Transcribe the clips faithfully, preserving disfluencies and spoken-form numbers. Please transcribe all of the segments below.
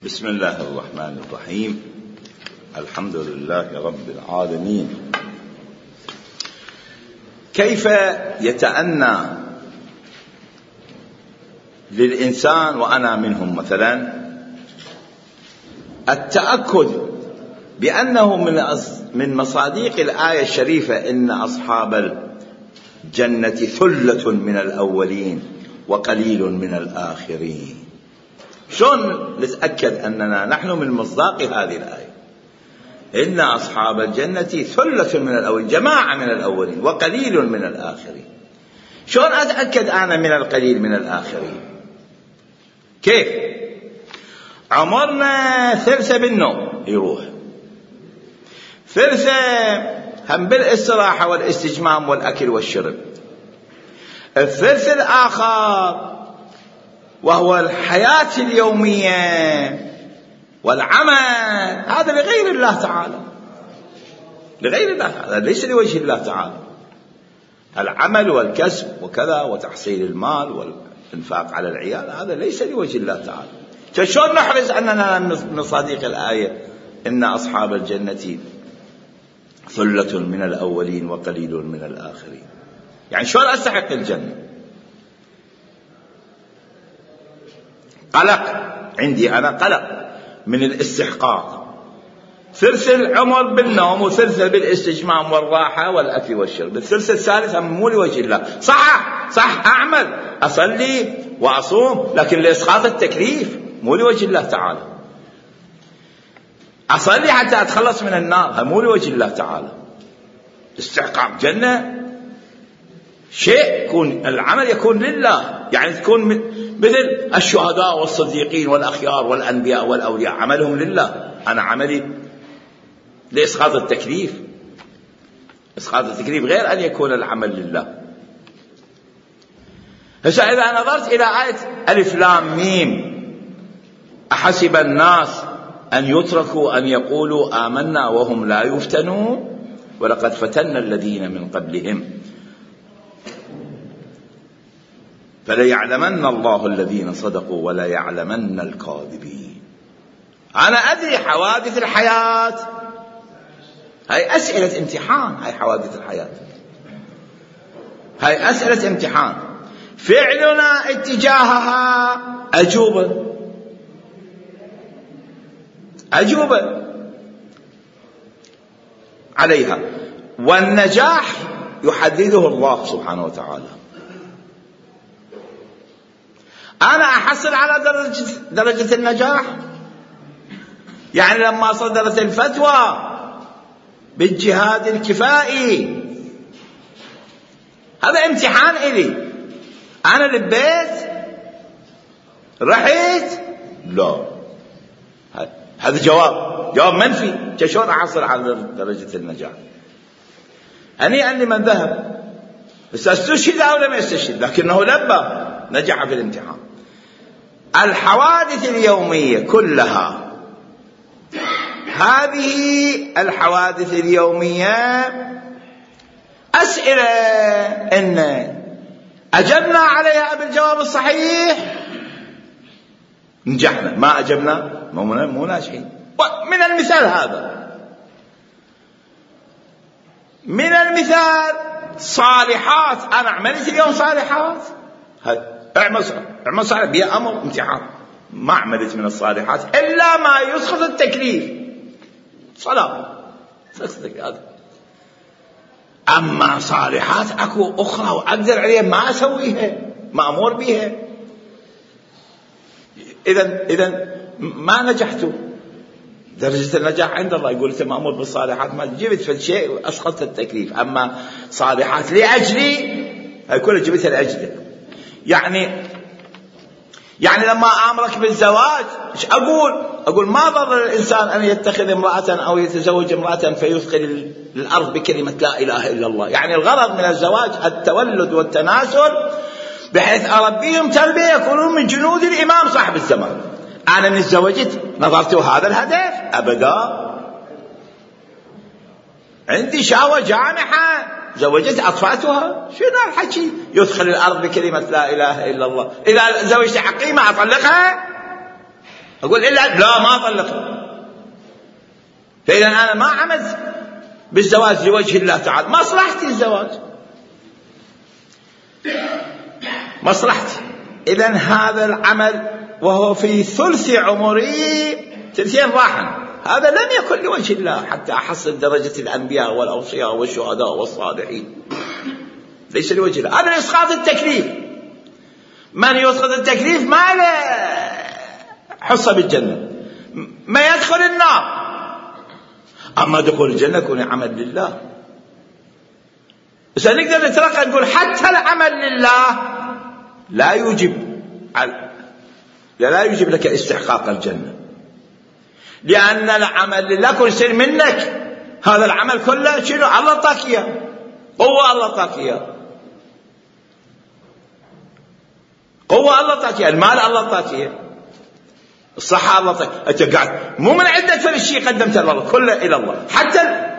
بسم الله الرحمن الرحيم. الحمد لله رب العالمين. كيف يتأنى للإنسان وأنا منهم مثلا التأكد بأنه من مصادق الآية الشريفة إن أصحاب الجنة ثلة من الأولين وقليل من الآخرين. شلون نتأكد أننا نحن من مصداق هذه الآية؟ إن أصحاب الجنة ثلة من الأولين، جماعة من الأولين وقليل من الآخرين. شلون أتأكد أنا من القليل من الآخرين؟ كيف؟ عمرنا ثلثة بالنوم يروح، ثلثة هم بالاستراحة والاستجمام والأكل والشرب، الثلث الآخر وهو الحياة اليومية والعمل، هذا لغير الله تعالى، لغير الله تعالى، ليس لوجه الله تعالى. العمل والكسب وكذا وتحصيل المال والإنفاق على العيال هذا ليس لوجه الله تعالى. فشلون نحرز أننا من صديق الآية إن أصحاب الجنة ثلة من الأولين وقليل من الآخرين؟ يعني شلون أستحق الجنة؟ قلق عندي أنا، قلق من الاستحقاق، ثلث العمر بالنوم وثلث بالاستجمام والراحة والأكل والشرب، الثلث الثالث مو لوجه الله. صح صح أعمل أصلي وأصوم، لكن لإسقاط التكليف مو لوجه الله تعالى. أصلي حتى أتخلص من النار مو لوجه الله تعالى. استحقاق جنة شيء يكون، العمل يكون لله، يعني تكون مثل الشهداء والصديقين والأخيار والأنبياء والأولياء عملهم لله، أنا عملي لإسقاط التكليف. إسقاط التكليف غير أن يكون العمل لله. هسه إذا نظرت إلى آية ألف لام ميم أحسب الناس أن يتركوا أن يقولوا آمنا وهم لا يفتنون ولقد فتنا الذين من قبلهم فليعلمن الله الذين صدقوا وليعلمن الكاذبين. أنا أدري حوادث الحياة هاي أسئلة امتحان، هاي حوادث الحياة هاي أسئلة امتحان، فعلنا اتجاهها أجوبة أجوبة عليها، والنجاح يحدده الله سبحانه وتعالى. أنا أحصل على درجة, درجة النجاح، يعني لما صدرت الفتوى بالجهاد الكفائي هذا امتحان إلي، أنا لبيت رحت لا، هذا جواب جواب منفي. شلون أحصل على درجة النجاح؟ هنيئا لمن ذهب، بس استشهد أو لم يستشهد لكنه لبى، نجح في الامتحان. الحوادث اليومية كلها، هذه الحوادث اليومية أسئلة إن أجبنا عليها بالجواب الصحيح نجحنا، ما أجبنا مو ناجحين. من المثال هذا، من المثال صالحات، أنا عملت اليوم صالحات، اعمل اعمل صالح بيا أمر امتحان، ما عملت من الصالحات إلا ما يسقط التكليف، صلاة هذا. أما صالحات أكو أخرى وأقدر عليها ما أسويها، ما أمر بها، إذن إذن ما نجحت. درجة النجاح عند الله، يقول أنت مأمور بالصالحات، ما جبت في الشيء وأسقطت التكليف. أما صالحات لأجلي هاي كلها جبتها لأجلك. يعني يعني لما أمرك بالزواج إيش أقول؟ أقول ما ضر الإنسان أن يتخذ امرأة أو يتزوج امرأة فيثقل الأرض بكلمة لا إله إلا الله. يعني الغرض من الزواج التولد والتناسل بحيث أربيهم تربية يكونون من جنود الإمام صاحب الزمان. أنا من تزوجت نظرت هذا الهدف أبدا، عندي شهوة جامحة زوجت أطفأتها، شنو الحكي يدخل الأرض بكلمة لا إله إلا الله؟ إذا زوجت حقيمة أطلقها؟ أقول إلا لا ما طلقت، فإذا أنا ما عملت بالزواج لوجه الله تعالى، مصلحتي الزواج، مصلحتي. إذن هذا العمل وهو في ثلث عمري، ثلثين راحا، هذا لم يكن لوجه الله حتى أحصل درجة الأنبياء والأوصياء والشهداء والصالحين، ليس لوجه الله. هذا إسقاط التكليف. من يسقط التكليف ما له حصة بالجنة، ما يدخل النار. أما دخول الجنة يكون عمل لله. بس نقدر نترقى نقول حتى العمل لله لا يوجب لا يوجب لك استحقاق الجنة، لأن العمل لله كل شيء منك. هذا العمل كله شنو؟ الله طاك إياه، قوة الله طاك إياه، قوة الله طاك إياه، المال الله طاك إياه، الصحة الله طاك. أنت قاعد مو من عندك فل الشيء قدمته لله، كله إلى الله. حتى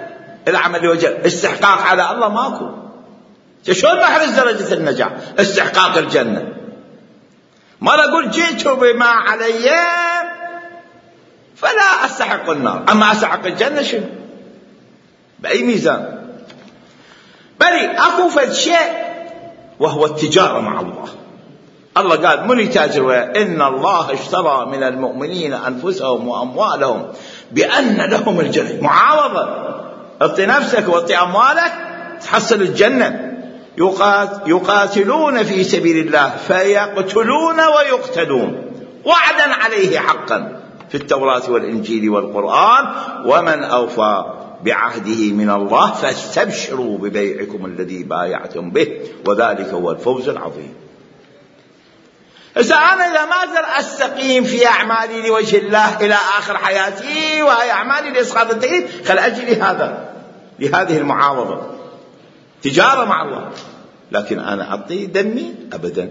العمل لوجه استحقاق على الله ماكو. شلون بحرز درجة النجاح؟ استحقاق الجنة. ما أقول جئت بما علي فلا أستحق النار، أما أستحق الجنة شنو؟ بأي ميزان؟ بل أكو فد شيء وهو التجارة مع الله. الله قال من يتاجر وياه؟ إن الله اشترى من المؤمنين أنفسهم وأموالهم بأن لهم الجنة. معاوضة، اعطي نفسك واعطي أموالك تحصل الجنة. يقاتلون في سبيل الله فيقتلون ويقتلون وعدا عليه حقا في التوراة والإنجيل والقرآن، ومن أوفى بعهده من الله فاستبشروا ببيعكم الذي بايعتم به وذلك هو الفوز العظيم. إذا أنا إذا ما أقدر أستقيم في أعمالي لوجه الله إلى آخر حياتي وهي أعمالي لإسقاط التكليف، خل أجي لهذا لهذه المعاوضة، تجارة مع الله. لكن أنا أعطي دمي أبدا،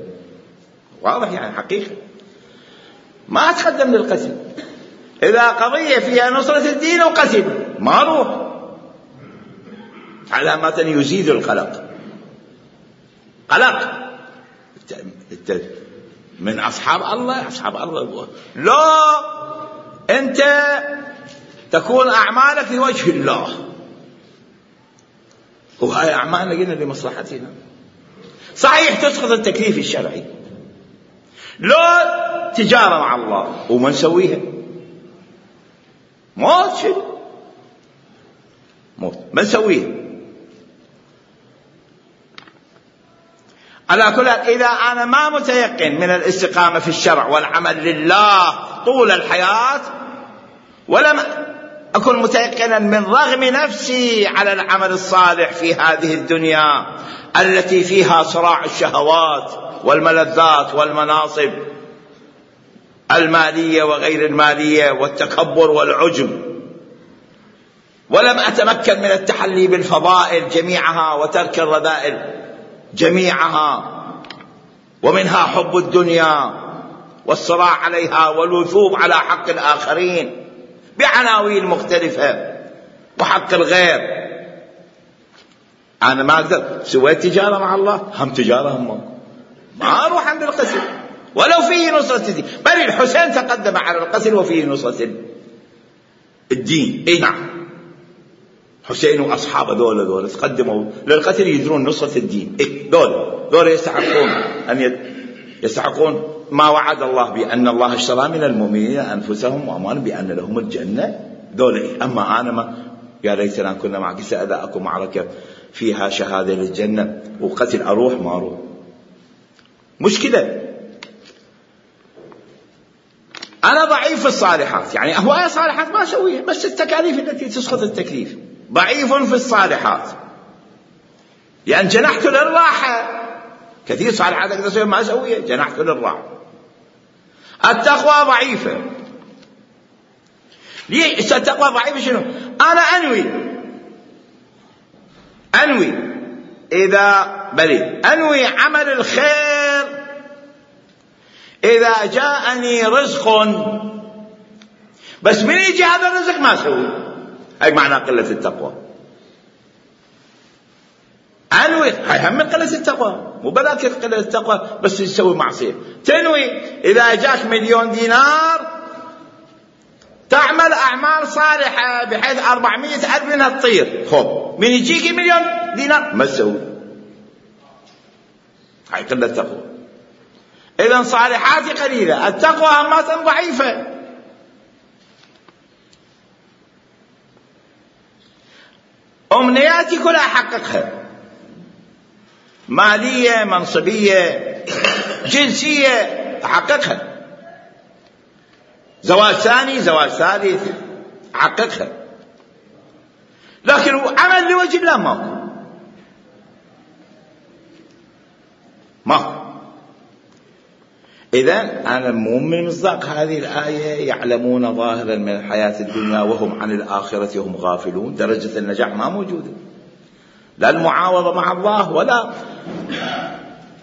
واضح يعني حقيقة. ما أتقدم للقتل. إذا قضية فيها نصرة الدين وقتل ما أروح، علامة يزيد القلق. قلق من أصحاب الله، أصحاب الله لا أنت تكون أعمالك لوجه الله، وهاي أعمالنا قلنا لمصلحتنا. صحيح تسقط التكليف الشرعي، لا تجارة مع الله وما نسويها، موت شنو؟ موت ما نسويها. على كل حال إذا أنا ما متيقن من الاستقامة في الشرع والعمل لله طول الحياة، ولم أكن متيقنا من رغم نفسي على العمل الصالح في هذه الدنيا التي فيها صراع الشهوات والملذات والمناصب المالية وغير المالية والتكبر والعجب، ولم أتمكن من التحلي بالفضائل جميعها وترك الرذائل جميعها، ومنها حب الدنيا والصراع عليها والوثوب على حق الآخرين بعناوين مختلفة وحق الغير. أنا ما أقدر سويت تجارة مع الله، هم تجارة هم ما أروح عند القتل ولو فيه نصرة الدين. بل الحسين تقدم على القتل وفيه نصرة الدين. إيه نعم، حسين وأصحابه دول دول تقدموا للقتل يدرون نصرة الدين. إيه دول دول يستحقون أن يستحقون ما وعد الله بأن الله اشترى من المؤمنين أنفسهم وأموالهم بأن لهم الجنة. دول إيه. أما أنا ما يا ليتنا كنا معك سأذاكم معركة فيها شهادة للجنة وقتل أروح ما أروح. مشكلة أنا ضعيف في الصالحات، يعني هواية صالحات ما أسويها، بس التكاليف التي تسقط التكليف. ضعيف في الصالحات لأن جنحت للراحة، كثير صالحات أقدر أسويها ما أسويها، جنحت للراحة. التقوى ضعيفة. ليه التقوى ضعيفة؟ شنو؟ أنا أنوي أنوي إذا بلي أنوي عمل الخير، إذا جاءني رزق بس من يجي هذا الرزق ما أسوي، هاي معنى قلة التقوى. أنوي هاي هم من قلة التقوى، مو بذاك قلة التقوى بس يسوي معصية. تنوي إذا جاك مليون دينار عمل أعمال صالحة بحيث أربعمائة ألف منها تطير، خب من يجيك مليون دينار ما تسوي، هاي قلة التقوى. إذن صالحاتي قليلة، التقوى همات ضعيفة. أمنياتي كلها أحققها، مالية، منصبية، جنسية أحققها، زواج ثاني، زواج ثالث أحققها، لكن عمل لوجه الله ماكو ماكو. إذن أنا مو من مصداق هذه الآية يعلمون ظاهرا من الحياة الدنيا وهم عن الآخرة هم غافلون. درجة النجاح ما موجودة، لا المعاوضة مع الله ولا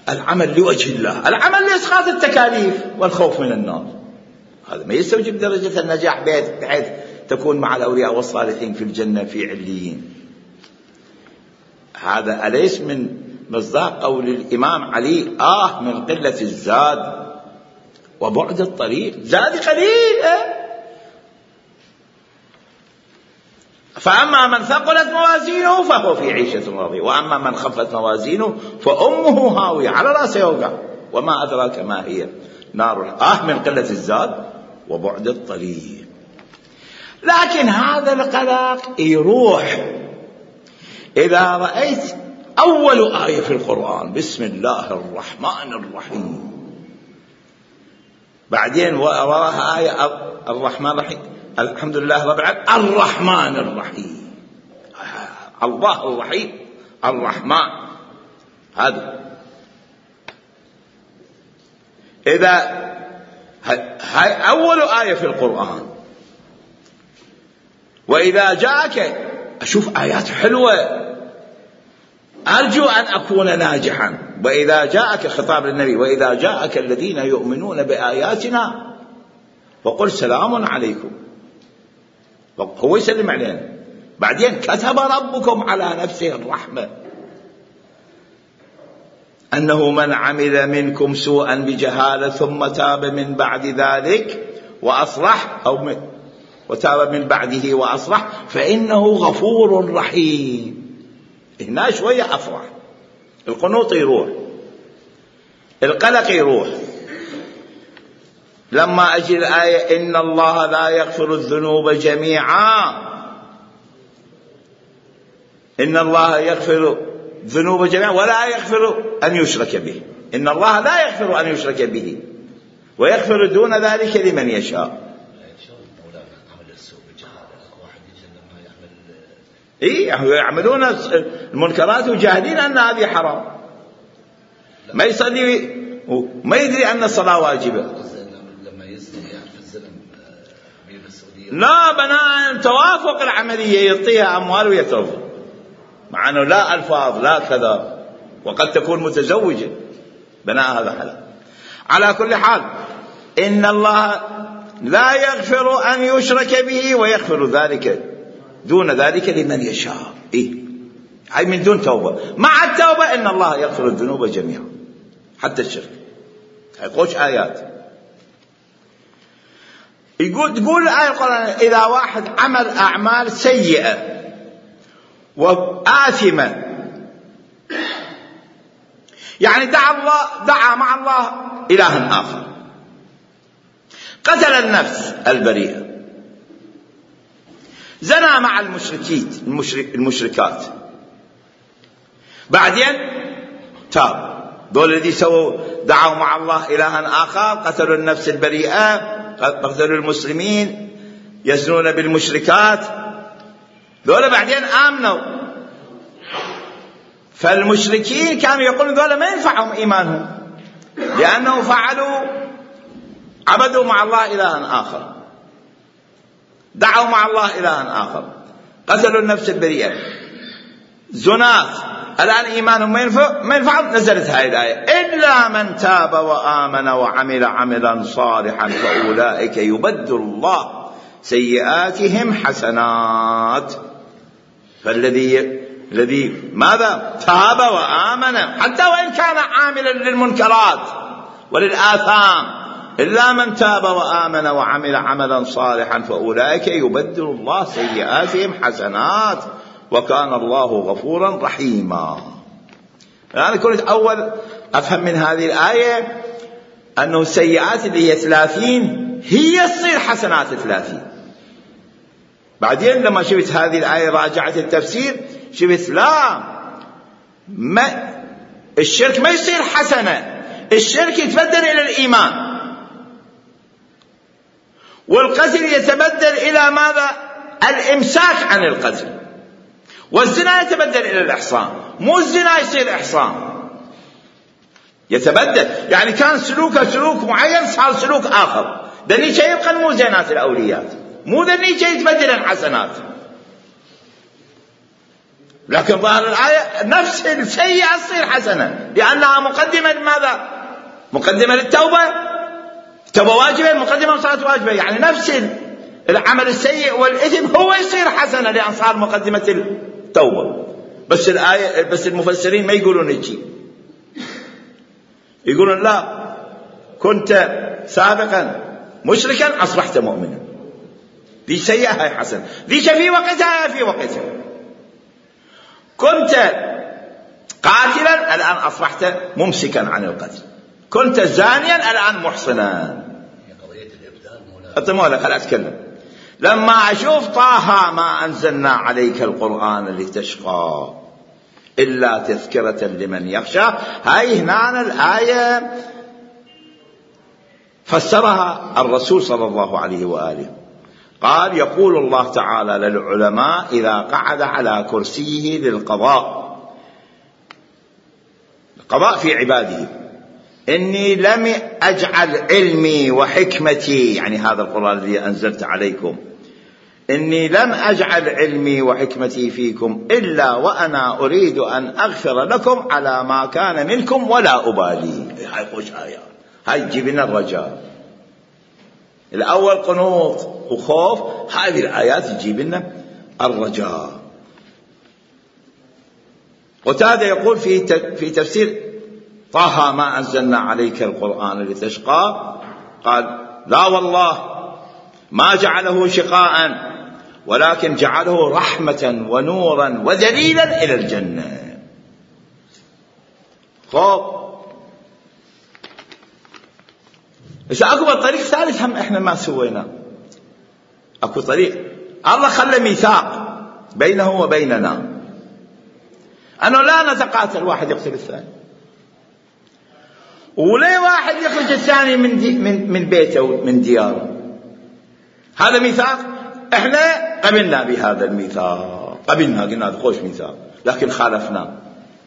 العمل لوجه الله، العمل لإسقاط التكاليف والخوف من النار. هذا ما يستوجب درجة النجاح بحيث تكون مع الأولياء والصالحين في الجنة في عليين. هذا أليس من مصداق قول الإمام علي آه من قلة الزاد وبعد الطريق، زاد قليل. فأما من ثقلت موازينه فهو في عيشة راضية، وأما من خفت موازينه فأمه هاوية على رأسه يوقع، وما أدراك ما هي نار. آه من قلة الزاد وبعد الطريق. لكن هذا القلق يروح إذا رأيت أول آية في القرآن بسم الله الرحمن الرحيم، بعدين وراها آية الرحمن الرحيم، الحمد لله رب العالمين الرحمن الرحيم، الله الرحيم الرحمن. هذا إذا هاي أول آية في القرآن. وإذا جاءك أشوف آيات حلوة أرجو أن أكون ناجحا. وإذا جاءك خطاب للنبي وإذا جاءك الذين يؤمنون بآياتنا فقل سلام عليكم، هو يسلم علينا. بعدين كتب ربكم على نفسه الرحمة أنه من عمل منكم سوءا بجهالة ثم تاب من بعد ذلك وأصلح أو من وتاب من بعده وأصلح فإنه غفور رحيم. هنا شوية أفرح، القنوط يروح، القلق يروح. لما أجي الآية إن الله لا يغفر الذنوب جميعا، إن الله يغفر الذنوب جميعا ولا يغفر أن يشرك به، إن الله لا يغفر أن يشرك به ويغفر دون ذلك لمن يشاء. إيه يعملون المنكرات وجاهدين أن هذه حرام، ما يصلي وما يدري أن الصلاة واجبة. لا بناء توافق العملية يعطيها أموال ويتوفى، مع أنه لا ألفاظ لا كذا، وقد تكون متزوجة بناء هذا حلال. على كل حال إن الله لا يغفر أن يشرك به ويغفر ذلك دون ذلك لمن يشاء. إيه هاي من دون توبة. مع التوبة إن الله يغفر الذنوب جميعا حتى الشرك. هاي قوش آيات. يقول تقول الآية القرآن إذا واحد عمل أعمال سيئة وآثمة، يعني دعا الله دعا مع الله إلها آخر، قتل النفس البريئة، زنى مع المشركين المشرك المشركات، بعدين تاب. دول الذي سووا دعوا مع الله إلها آخر، قتلوا النفس البريئة، قتلوا المسلمين، يزنون بالمشركات، دول بعدين آمنوا. فالمشركين كانوا يقولون دول ما ينفعهم إيمانهم لأنه فعلوا عبدوا مع الله إلها آخر، دعوا مع الله إلها آخر، قتلوا النفس البريئة، زنات، الآن إيمانهم ما ينفع ما ينفعهم. نزلت هذه الآية إلا من تاب وآمن وعمل عملا صالحا فأولئك يبدل الله سيئاتهم حسنات. فالذي الذي ماذا تاب وآمن حتى وإن كان عاملا للمنكرات وللآثام إلا من تاب وآمن وعمل عملا صالحا فأولئك يبدل الله سيئاتهم حسنات وكان الله غفورا رحيما. أنا كنت أول أفهم من هذه الآية أنه السيئات اللي هي ثلاثين هي تصير حسنات ثلاثين. بعدين لما شفت هذه الآية راجعت التفسير شفت لا، ما الشرك ما يصير حسنة، الشرك يتبدل إلى الإيمان، والقتل يتبدل إلى ماذا؟ الإمساك عن القتل، والزنا يتبدل إلى الإحصان، مو الزنا يصير إحصان، يتبدل. يعني كان سلوكه سلوك معين صار سلوك آخر، ذني شيء يبقى مو زينات الأوليات، مو ذني شيء يتبدل الحسنات. لكن ظاهر الآية نفس السيئة تصير حسنة لأنها مقدمة لماذا؟ مقدمة للتوبة، التوبة واجبة، مقدمة للصلاة واجبة، يعني نفس العمل السيء والإثم هو يصير حسنة لأن صار مقدمة التوبة. بس الآية بس المفسرين ما يقولون هيك، يقولون لا، كنت سابقا مشركا أصبحت مؤمنا، ذي سيئة هاي حسنة، ذي في وقتها في وقتها. كنت قاتلا الآن أصبحت ممسكا عن القتل، كنت زانيا الآن محصنا. أتمنى خل أتكلم. لما أشوف طه ما أنزلنا عليك القرآن لتشقى إلا تذكرة لمن يخشى، هاي هنا الآية فسرها الرسول صلى الله عليه وآله، قال يقول الله تعالى للعلماء إذا قعد على كرسيه للقضاء، القضاء في عباده، إني لم أجعل علمي وحكمتي، يعني هذا القرآن الذي أنزلت عليكم، إني لم أجعل علمي وحكمتي فيكم إلا وأنا أريد أن أغفر لكم على ما كان منكم ولا أبالي. هاي خوش آية، هاي تجيبنا الرجاء. الأول قنوط وخوف، هذه الآيات تجيب لنا الرجاء. قتادة يقول في في تفسير طه ما أنزلنا عليك القرآن لتشقى، قال لا والله ما جعله شقاء ولكن جعله رحمة ونورا ودليلا إلى الجنة. خوف. إذا أكو طريق ثالث هم إحنا ما سوينا، أكو طريق الله خلى ميثاق بينه وبيننا أنه لا نتقاتل واحد يقتل الثاني، ولي واحد يخرج الثاني من دي من من بيته ومن دياره. هذا ميثاق، إحنا قبلنا بهذا الميثاق، قبلنا قلنا هذا خوش ميثاق، لكن خالفنا،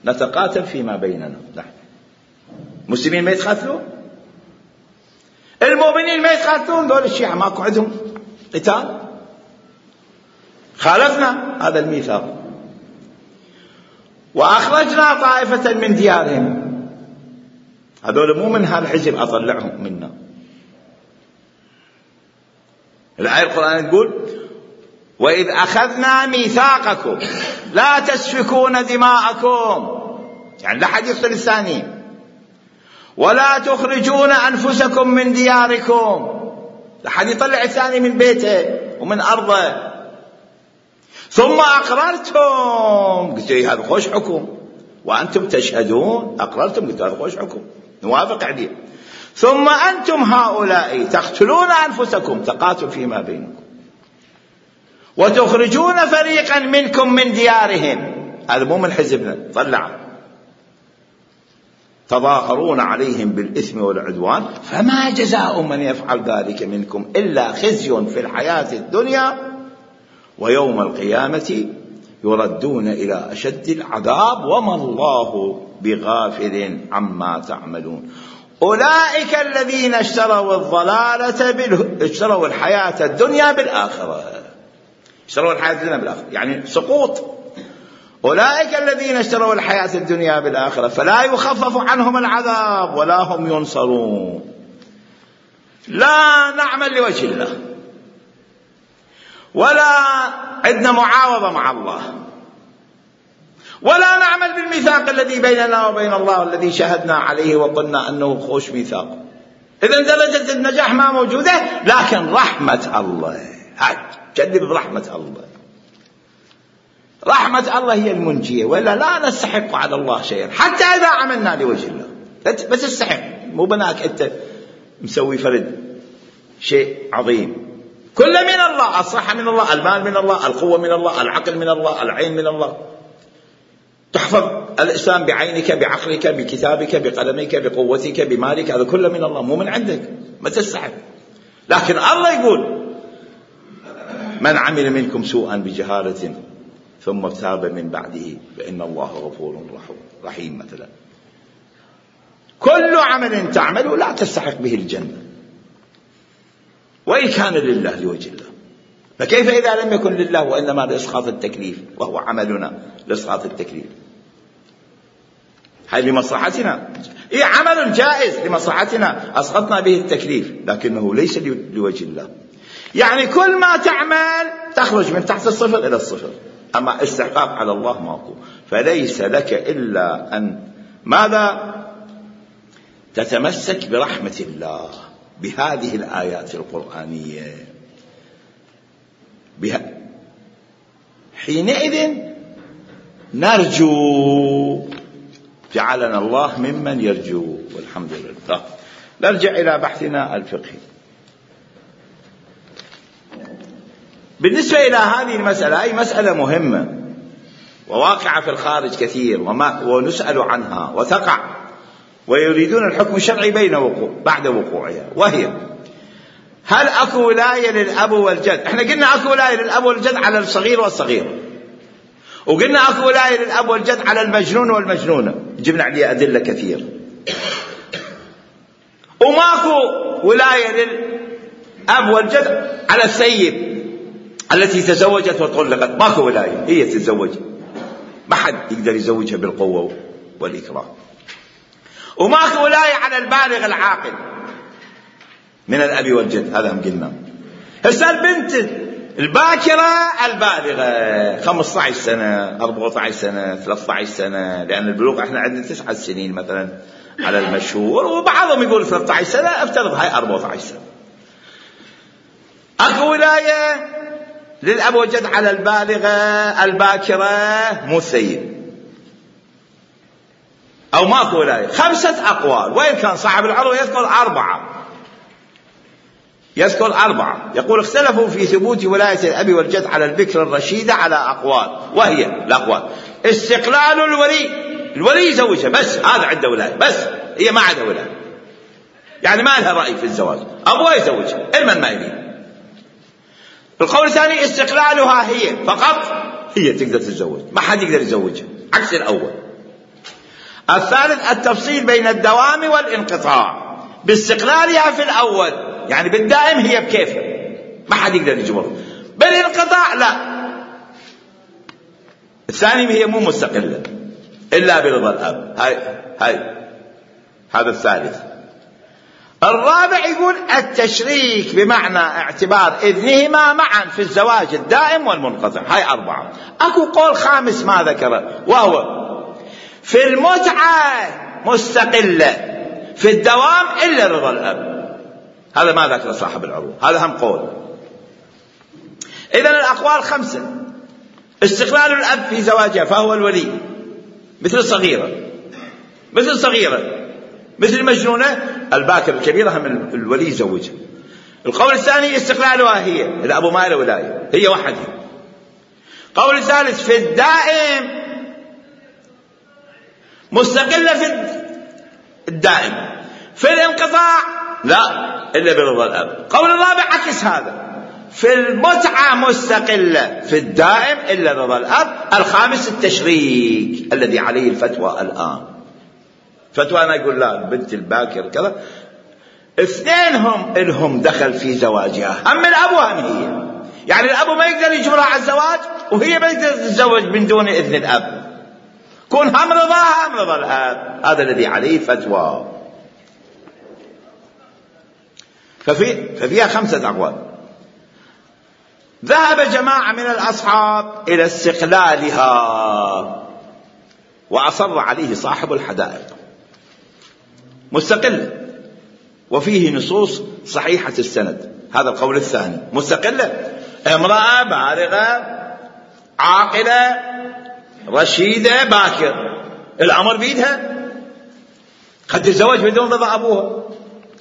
نتقاتل فيما بيننا. نحن مسلمين ما يتقاتلون، المؤمنين ما يتقاتلون، دول الشيعة ماكو عندهم قتال. خالفنا هذا الميثاق وأخرجنا طائفة من ديارهم، هذول مو من هالحزب أطلعهم منا. الآية القرآن تقول وإذ أخذنا ميثاقكم لا تسفكون دماءكم، يعني لا حد يقتل الثاني، ولا تخرجون أنفسكم من دياركم، لا حد يطلع الثاني من بيته ومن أرضه، ثم أقررتم، قلت لي هذا خوش حكم وأنتم تشهدون، أقررتم، قلت هذا خوش حكم نوافق عليه، ثم أنتم هؤلاء تقتلون أنفسكم، تقاتل فيما بينكم، وتخرجون فريقا منكم من ديارهم، هذا مو من حزبنا، طلع، تظاهرون عليهم بالإثم والعدوان فما جزاء من يفعل ذلك منكم إلا خزي في الحياة الدنيا ويوم القيامة يردون إلى أشد العذاب وما الله بغافل عما تعملون. أولئك الذين اشتروا الضلالة بال... اشتروا الحياة الدنيا بالآخرة، اشتروا الحياة الدنيا بالآخرة يعني سقوط. أولئك الذين اشتروا الحياة الدنيا بالآخرة فلا يخفف عنهم العذاب ولا هم ينصرون. لا نعمل لوجه الله ولا عندنا معاوضة مع الله، ولا نعمل بالميثاق الذي بيننا وبين الله الذي شهدنا عليه وقلنا أنه خوش ميثاق. إذن درجة النجاح ما موجودة، لكن رحمة الله هاي جدد رحمة الله. رحمة الله هي المنجية، ولا لا نستحق على الله شيئا حتى إذا عملنا لوجه الله. بس تستحق، مو بناك أنت مسوي فرد شيء عظيم. كل من الله، الصحة من الله، المال من الله، القوة من الله، العقل من الله، العين من الله. تحفظ الإسلام بعينك، بعقلك، بكتابك، بقلمك، بقوتك، بمالك، هذا كله من الله، مو من عندك، ما تستحق. لكن الله يقول من عمل منكم سوءا بجهالة ثم تاب من بعده فإن الله غفور رحيم. مثلا كل عمل تعمله لا تستحق به الجنة وإن كان لله لوجه الله، فكيف إذا لم يكن لله وإنما لإسقاط التكليف، وهو عملنا لإسقاط التكليف؟ هاي لمصلحتنا، إيه عمل جائز لمصلحتنا أسقطنا به التكليف، لكنه ليس لوجه الله. يعني كل ما تعمل تخرج من تحت الصفر إلى الصفر، أما استحقاق على الله ماكو. فليس لك إلا أن ماذا؟ تتمسك برحمة الله بهذه الآيات القرآنية. بها حينئذ نرجو، جعلنا الله ممن يرجو، والحمد لله. نرجع إلى بحثنا الفقهي. بالنسبة إلى هذه المسألة، أي مسألة مهمة وواقعة في الخارج كثير وما ونسأل عنها وتقع، ويريدون الحكم الشرعي بين وقوع بعد وقوعها، وهي هل أكو ولاية للأب والجد؟ احنا قلنا أكو ولاية للأب والجد على الصغير والصغيرة، وقلنا أكو ولاية للأب والجد على المجنون والمجنونة، جبنا عليه أدلة كثير. وماكو ولاية للأب والجد على السيد التي تزوجت وطلقت، ماكو ولاية، هي تتزوج، ما حد يقدر يزوجها بالقوة والإكراه. وماكو ولاية على البالغ العاقل من الأب والجد، هذا هم قلنا. هسه البنت الباكرة البالغة خمسة عشر سنة، أربعة عشر سنة، ثلاثة عشر سنة، لأن البلوغ احنا عندنا تسعة سنين مثلا على المشهور، وبعضهم يقول ثلاثة عشر سنة، افترض هاي أربعة عشر سنة. أكو ولاية للأب والجد على البالغة الباكرة مو السيد، أو ماكو ولاية. خمسة أقوال، وإن كان صاحب العروة يذكر أربعة يذكر أربعة يقول اختلفوا في ثبوت ولاية الأب والجد على البكر الرشيدة على أقوال، وهي الأقوال: استقلال الولي، الولي يزوجها بس، هذا عنده ولاية بس، هي ما عندها ولاية، يعني ما لها رأي في الزواج، أبوها يزوجها المن ما يريد. القول الثاني استقلالها هي فقط، هي تقدر تتزوج، ما حد يقدر يزوجها، عكس الأول. الثالث التفصيل بين الدوام والانقطاع، باستقلالها في الأول يعني بالدائم هي بكيفها ما حد يقدر يجبرها، بالانقطاع لا، الثاني هي مو مستقلة إلا برضا الأب، هاي هاي هذا الثالث. الرابع يقول التشريك بمعنى اعتبار إذنهما معا في الزواج الدائم والمنقطع، هاي أربعة. أكو قول خامس ما ذكره، وهو في المتعة مستقلة، في الدوام إلا رضا الأب، هذا ما ذكر صاحب العروة، هذا هم قول. إذن الأقوال خمسة: استقلال الأب في زواجها فهو الولي، مثل الصغيرة مثل الصغيرة مثل المجنونة الباكر الكبيرة هم الولي يزوجها. القول الثاني استقلالها هي، الأب ما له ولاية، هي وحدها. قول الثالث في الدائم مستقلة في الدائم، في الانقطاع لا إلا برضا الأب. قول الرابع عكس هذا، في المتعة مستقلة، في الدائم إلا رضا الأب. الخامس التشريك الذي عليه الفتوى الآن، فتوى أنا يقول لا البنت الباكر كذا، اثنين هم إلهم دخل في زواجها، هم الأب وهم هي، يعني الأب ما يقدر يجبرها على الزواج، وهي ما يقدر تتزوج من دون إذن الأب، كون هم رضاها هم رضا الأب، هذا الذي عليه فتوى. ففي ففيها خمسة أقوال. ذهب جماعة من الأصحاب إلى استقلالها، وأصر عليه صاحب الحدائق، مستقل وفيه نصوص صحيحة السند. هذا القول الثاني، مستقلة، امرأة بالغة عاقلة رشيدة باكر، الأمر بيدها، قد تتزوج بدون رضا أبوها،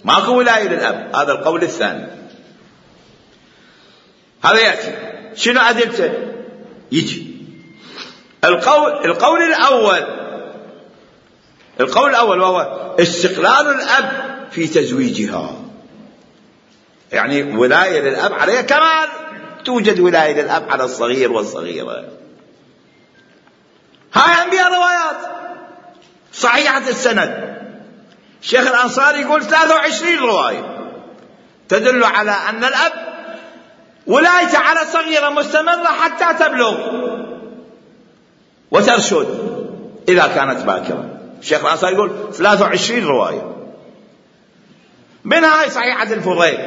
ماكو ولاية للأب. هذا القول الثاني. هذا يأتي شنو أدلته؟ يجي القول القول الأول القول الأول وهو استقلال الأب في تزويجها، يعني ولاية للأب عليها كما توجد ولاية للأب على الصغير والصغيرة. هاي أنبياء روايات صحيحة السند. الشيخ الأنصاري يقول ثلاثة وعشرين رواية تدل على أن الأب ولايته على صغيرة مستمرة حتى تبلغ وترشد إذا كانت باكرة. الشيخ الأنصاري يقول ثلاثة وعشرين رواية، منها هاي صحيحة الفضيل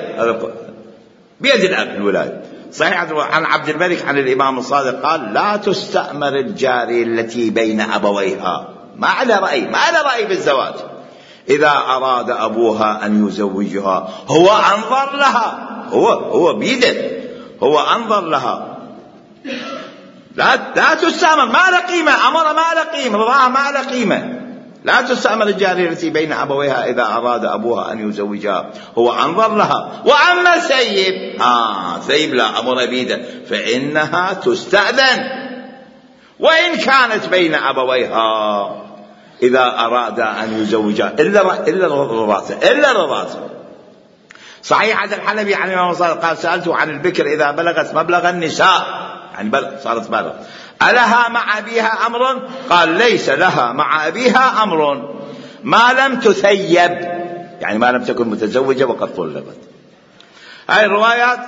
بيد الأب الولاية، صحيحة عن عبد الملك عن الإمام الصادق قال لا تستأمر الجارية التي بين أبويها، ما على رأي ما على رأي بالزواج، إذا أراد أبوها أن يزوجها هو أنظر لها، هو هو بيده، هو أنظر لها، لا لا تستأمر، ما له قيمة، أمر ما له قيمة، رضاها ما له قيمة. لا تستأمر الجارية التي بين أبويها إذا أراد أبوها أن يزوجها هو أنظر لها. وأما ثيب آه ثيب لا أمر بيده، فإنها تستأذن وإن كانت بين أبويها إذا أراد أن يزوجها إلا إلا رضاته إلا رضاته. صحيحة الحلبي عن الإمام الصادق قال سألته عن البكر إذا بلغت مبلغ النساء، يعني بلغ صارت بالغ، ألها مع أبيها أمر؟ قال ليس لها مع أبيها أمر ما لم تثيب، يعني ما لم تكن متزوجة وقد طلقت. هاي الروايات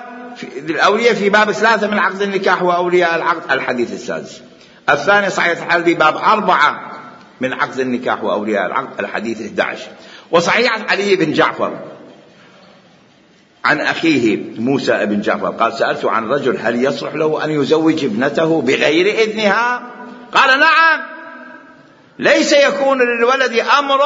الأولية في باب ثلاثة من عقد النكاح وأولياء العقد الحديث السادس. الثاني صحيح الحلبي باب أربعة من عقد النكاح وأولياء العقد الحديث إحدى عشر. وصحيح علي بن جعفر عن أخيه موسى بن جعفر قال سألت عن رجل هل يصلح له أن يزوج ابنته بغير إذنها؟ قال نعم، ليس يكون للولد أمر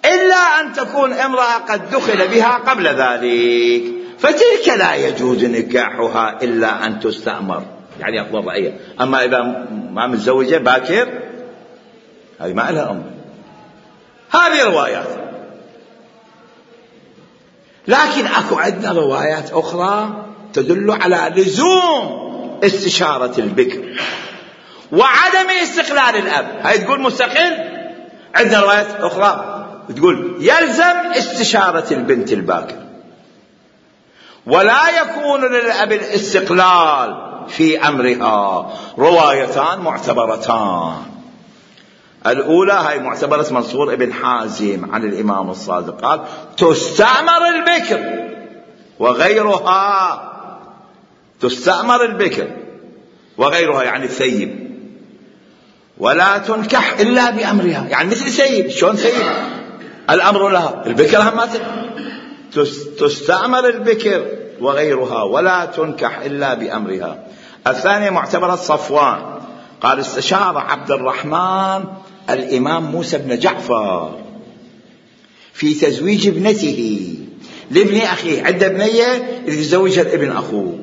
إلا أن تكون امرأة قد دخل بها قبل ذلك، فتلك لا يجوز نكاحها إلا أن تستأمر، يعني أفضل رأيه. أما إذا ما متزوجة باكر هذه ما لها أمر. هذه روايات، لكن أكو عندنا روايات أخرى تدل على لزوم استشارة البكر وعدم استقلال الأب. هاي تقول مستقل. عندنا روايات أخرى تقول يلزم استشارة البنت الباكر، ولا يكون للأب الاستقلال في أمرها. روايتان معتبرتان. الأولى هاي معتبرة منصور ابن حازم عن الإمام الصادق قال تستأمر البكر وغيرها، تستأمر البكر وغيرها يعني الثيب، ولا تنكح إلا بأمرها، يعني مثل الثيب. شلون ثيب؟ الأمر لها، البكر هم تستأمر البكر وغيرها ولا تنكح إلا بأمرها. الثانية معتبرة صفوان قال استشار عبد الرحمن الإمام موسى بن جعفر في تزويج ابنته لابن أخيه، عنده بنية يتزوجها الابن أخوه،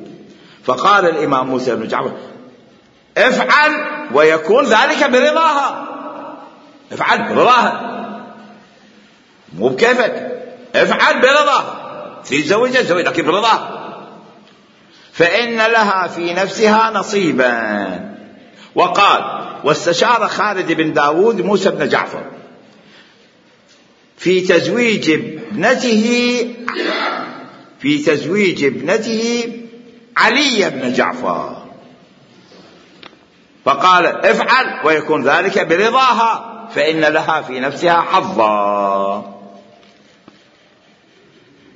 فقال الإمام موسى بن جعفر افعل ويكون ذلك برضاها، افعل برضاها مو بكيفك، افعل برضاها، تزوجها زوج لكن برضاها، فإن لها في نفسها نصيبا. وقال واستشار خالد بن داود موسى بن جعفر في تزويج ابنته في تزويج ابنته علي بن جعفر، فقال افعل ويكون ذلك برضاها فإن لها في نفسها حظا.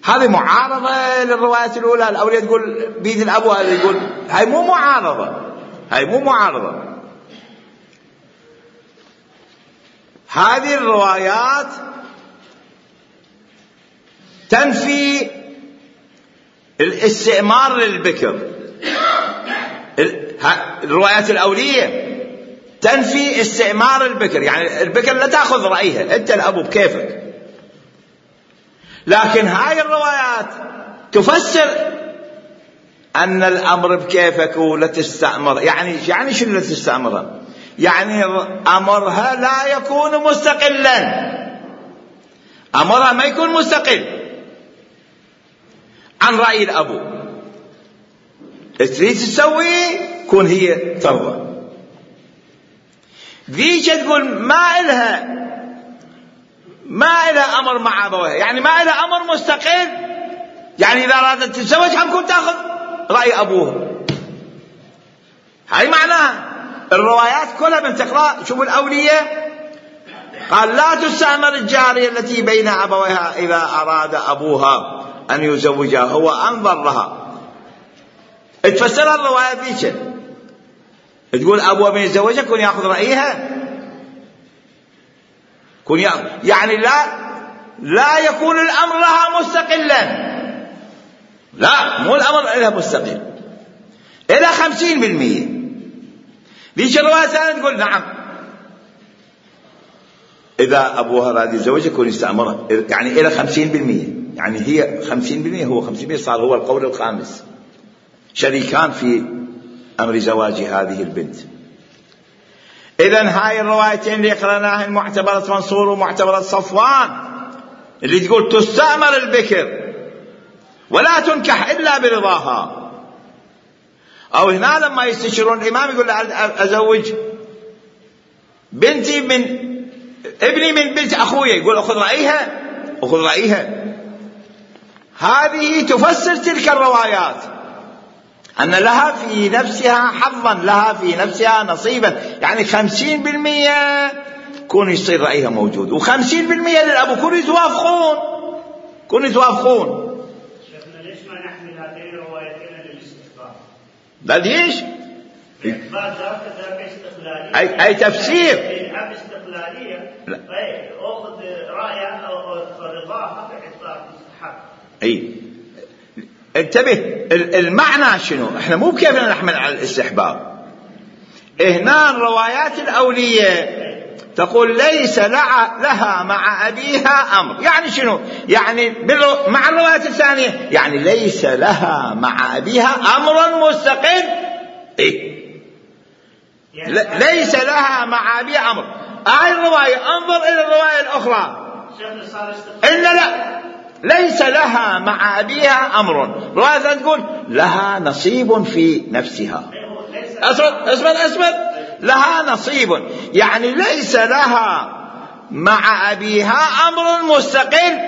هذه معارضة للرواية الأولى. الأولى تقول بيد الأب، وهذا يقول هاي مو معارضة، هاي مو معارضة. هذه الروايات تنفي الاستئمار للبكر. الروايات الأولية تنفي استئمار البكر، يعني البكر لا تأخذ رأيها، أنت الأب بكيفك. لكن هاي الروايات تفسر أن الأمر بكيفك ولا تستأمر. يعني يعني شنو لا تستأمرها؟ يعني أمرها لا يكون مستقلا، أمرها ما يكون مستقل عن رأي الأبو. تريد تسوي كون هي ترضى. ذيك تقول ما إلها ما إلها أمر مع أبوها، يعني ما إلها أمر مستقل. يعني إذا أرادت تتزوج حمكم تأخذ رأي أبوها. هاي معناها الروايات كلها من تقرأ. شوف الأولية قال لا تستأمر الجارية التي بين أبويها إذا أراد أبوها أن يزوجها، هو أنظر لها. تفسر الرواية ذيك تقول أبوها من يتزوجها كون يأخذ رأيها، كون يأخذ. يعني لا لا يكون الأمر لها مستقلا، لا مو الأمر لها مستقل، إلى خمسين بالمئة. ذيك الرواية الثانية تقول نعم إذا أبوها راد يتزوجها كون يستأمرها، يعني إلى خمسين بالمئة. يعني هي خمسين بالمئة هو خمسين بالمئة، صار هو القول الخامس، شريكان في أمر زواج هذه البنت. إذن هاي الروايتين اللي قرأناها معتبرة منصور ومعتبرة صفوان اللي تقول تستأمر البكر ولا تنكح إلا برضاها. أو هنا لما يستشيرون الإمام يقول أزوج بنتي من ابني من بنت أخويا، يقول أخذ رأيها أخذ رأيها. هذه تفسر تلك الروايات أن لها في نفسها حظا، لها في نفسها نصيبا. يعني خمسين بالمئة كون يصير رأيها موجود، وخمسين بالمئة للأبو كون يتوافقون كون يتوافقون. شيخنا ليش ما نحمل هاتين الروايتين للاستخبار؟ لا ليش؟ إثبات ذاك ذاك استقلالية. أي أي تفسير؟ أي استقلالية. أي أخذ رأيها أو رضاها في إثبات مستحق. أي انتبه المعنى شنو. احنا مو كيف نحمل على الاستحباب. هنا الروايات الأولية تقول ليس لها مع أبيها أمر. يعني شنو؟ يعني مع الروايات الثانية يعني ليس لها مع أبيها أمر مستقل. إيه؟ ليس لها مع أبيها أمر. هاي الرواية انظر إلى الرواية الأخرى إن لا ليس لها مع أبيها أمر. رواية تقول لها نصيب في نفسها. أسمد أسمد أسمد لها نصيب، يعني ليس لها مع أبيها أمر مستقل،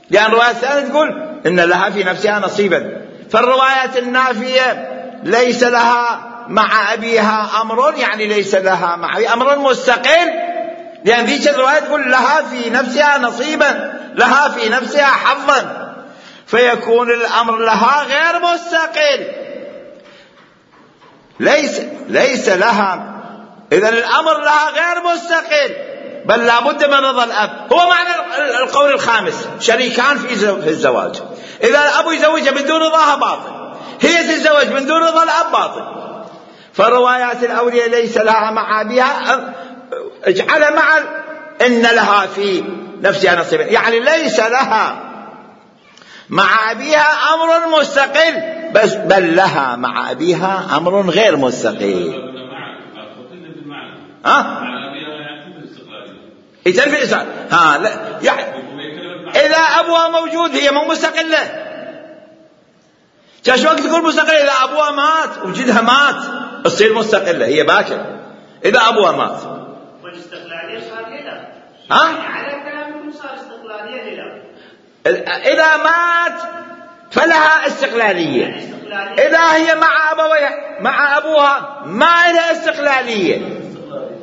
لأن الرواية الثانية تقول إن لها في نفسها نصيبا. فالروايات النافية ليس لها مع أبيها أمر، يعني ليس لها مع أبيها أمر مستقل، لأن ذيك الرواية تقول لها في نفسها نصيبا، لها في نفسها حظا، فيكون الأمر لها غير مستقل. ليس ليس لها، إذن الأمر لها غير مستقل، بل لابد من رضا الأب. هو معنى القول الخامس شريكان في الزواج. إذا الأب يزوجها من دون رضاها باطل، هي تتزوج من دون رضا الأب باطل. فالروايات الأولية ليس لها مع أبيها اجعل مع إن لها في نفسها نصيبا، يعني ليس لها مع أبيها أمر مستقل، بس بل لها مع أبيها أمر غير مستقل. ها؟ يتلف الإسلام. ها لا يعني إذا أبوها موجود هي مو مستقلة. كاش وقت تقول مستقلة إذا أبوها مات وجدها مات تصير مستقلة هي باكر. إذا أبوها مات والاستقلالية صار هنا. ها؟ يعني على كلامكم صار استقلالية هنا. إذا مات فلها استقلالية. يعني استقلالية. إذا هي مع أبوها مع أبوها ما لها استقلالية.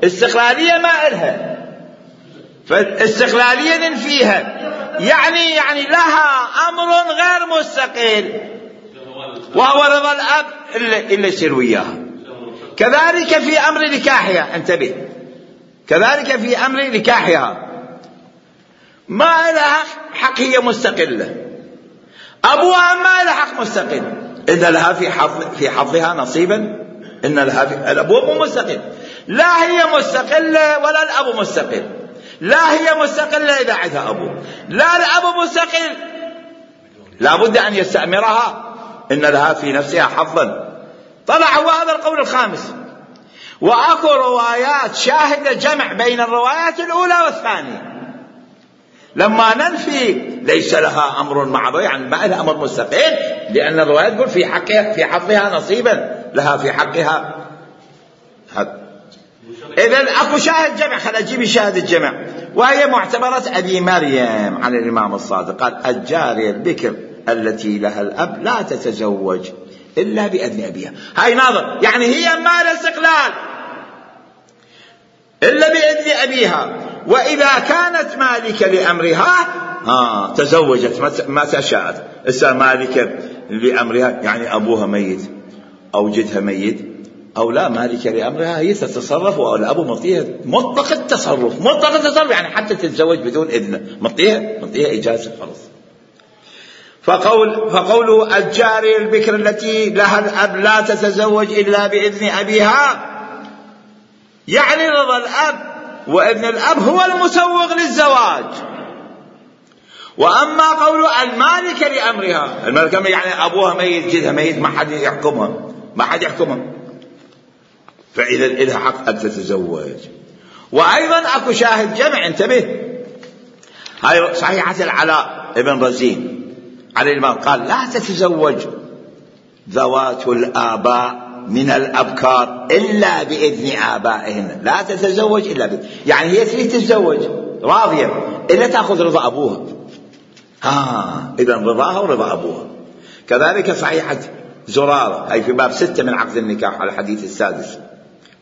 استقلالية ما لها، فالاستقلالية ننفيها. يعني يعني لها أمر غير مستقل وهو رضا الأب اللي يصير وياها. كذلك في أمر نكاحها، انتبه، كذلك في أمر نكاحها ما لها حق، هي مستقلة. أبوها ما لها حق مستقل، إن لها في حظ في حظها نصيبا، إن لها في الأبوة مو مستقل، لا هي مستقلة ولا الأب مستقل. لا هي مستقلة إذا عندها أبو، لا الأب مستقل لا بد أن يستأمرها، إن لها في نفسها حظا. طلع هو هذا القول الخامس. وأكو روايات شاهدة جمع بين الروايات الأولى والثانية. لما ننفي ليس لها أمر معروف، يعني ما لها أمر مستقل، لأن الروايات تقول في حقها في حظها نصيبا لها في حقها. إذن أكو شاهد جمع، خل أجيب شاهد الجمع، وهي معتبرة أبي مريم عن الإمام الصادق قال: الجارية البكر التي لها الأب لا تتزوج إلا بإذن أبيها. هاي ناظر، يعني هي ما لها استقلال إلا بإذن أبيها، وإذا كانت مالكة لأمرها آه تزوجت متى شاءت. إسا مالكة لأمرها يعني أبوها ميت أو جدها ميت أو لا مالكة لأمرها، هي تتصرف والأب مطيها مطلق التصرف، مطلق التصرف يعني حتى تتزوج بدون إذنه مطيها مطيها إجازة خلاص. فقول فقوله الجارية البكر التي لها الأب لا تتزوج إلا بإذن أبيها، يعني رضا الأب وإذن الأب هو المسوغ للزواج. وأما قول المالكة لأمرها، المالكة يعني أبوها ميت جدها ميت ما حد يحكمها ما حد يحكمها فإذا إلها حق أن تتزوج. وأيضا أكو شاهد جمع، انتبه، هاي صحيحة العلاء ابن رزين على الإمام قال: لا تتزوج ذوات الآباء من الأبكار إلا بإذن آبائهن، لا تتزوج إلا بإذن، يعني هي تريد تتزوج راضية إلا تأخذ رضا أبوها. ها إذن رضاها ورضا أبوها. كذلك صحيحة زرارة، أي في باب ستة من عقد النكاح على الحديث السادس،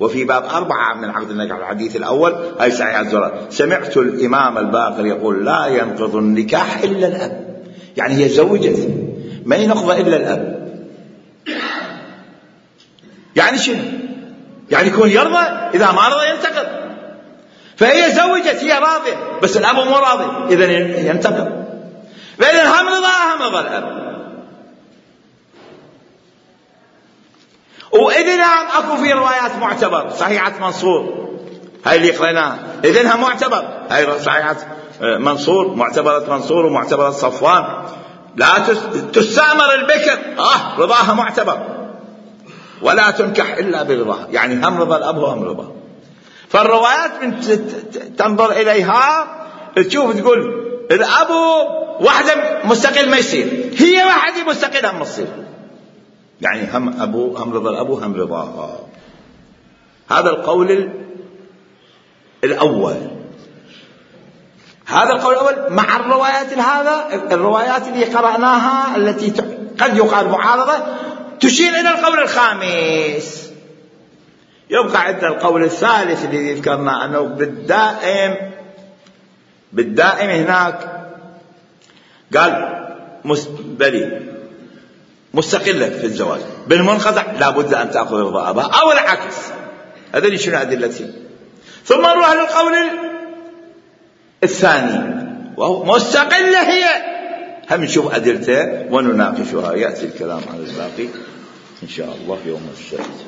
وفي باب أربعة من عقد النكاح على الحديث الأول، أي صحيحة زرارة: سمعت الإمام الباقر يقول: لا ينقض النكاح إلا الأب، يعني هي زوجت ما ينقض إلا الأب. يعني شنو؟ يعني يكون يرضى، إذا ما رضى ينتقض. فهي زوجت هي راضية بس الأب مو راضي، إذن ينتقض. فإذن هم رضاها هم رضا الأب. وإذن أكو في روايات معتبر، صحيحة منصور هاي اللي قريناها إذنها معتبر، هاي صحيحة منصور، معتبرة منصور ومعتبرة صفوان، لا تستأمر البكر آه رضاها معتبر، ولا تنكح إلا برضاها، يعني هم رضا الأب وهم رضا. فالروايات من تنظر إليها تشوف تقول الأب واحدة مستقل ما يصير، هي واحدة مستقلة ما تصير، يعني هم أبو هم رضا الأب هم رضاها. هذا القول الأول. هذا القول الأول مع الروايات هذا الروايات اللي قرأناها التي قد يقال معارضة تشير إلى القول الخامس. يبقى عندنا القول الثالث الذي ذكرنا أنه بالدائم بالدائم هناك قال بلي مستقلة في الزواج، بالمنقطع لا بد أن تأخذ رضا أباها أو العكس. هذا اللي شنو أدلتي. ثم نروح للقول الثاني وهو مستقلة هي، هم نشوف أدلته ونناقشها. يأتي الكلام عن الباقي إن شاء الله يوم السبت.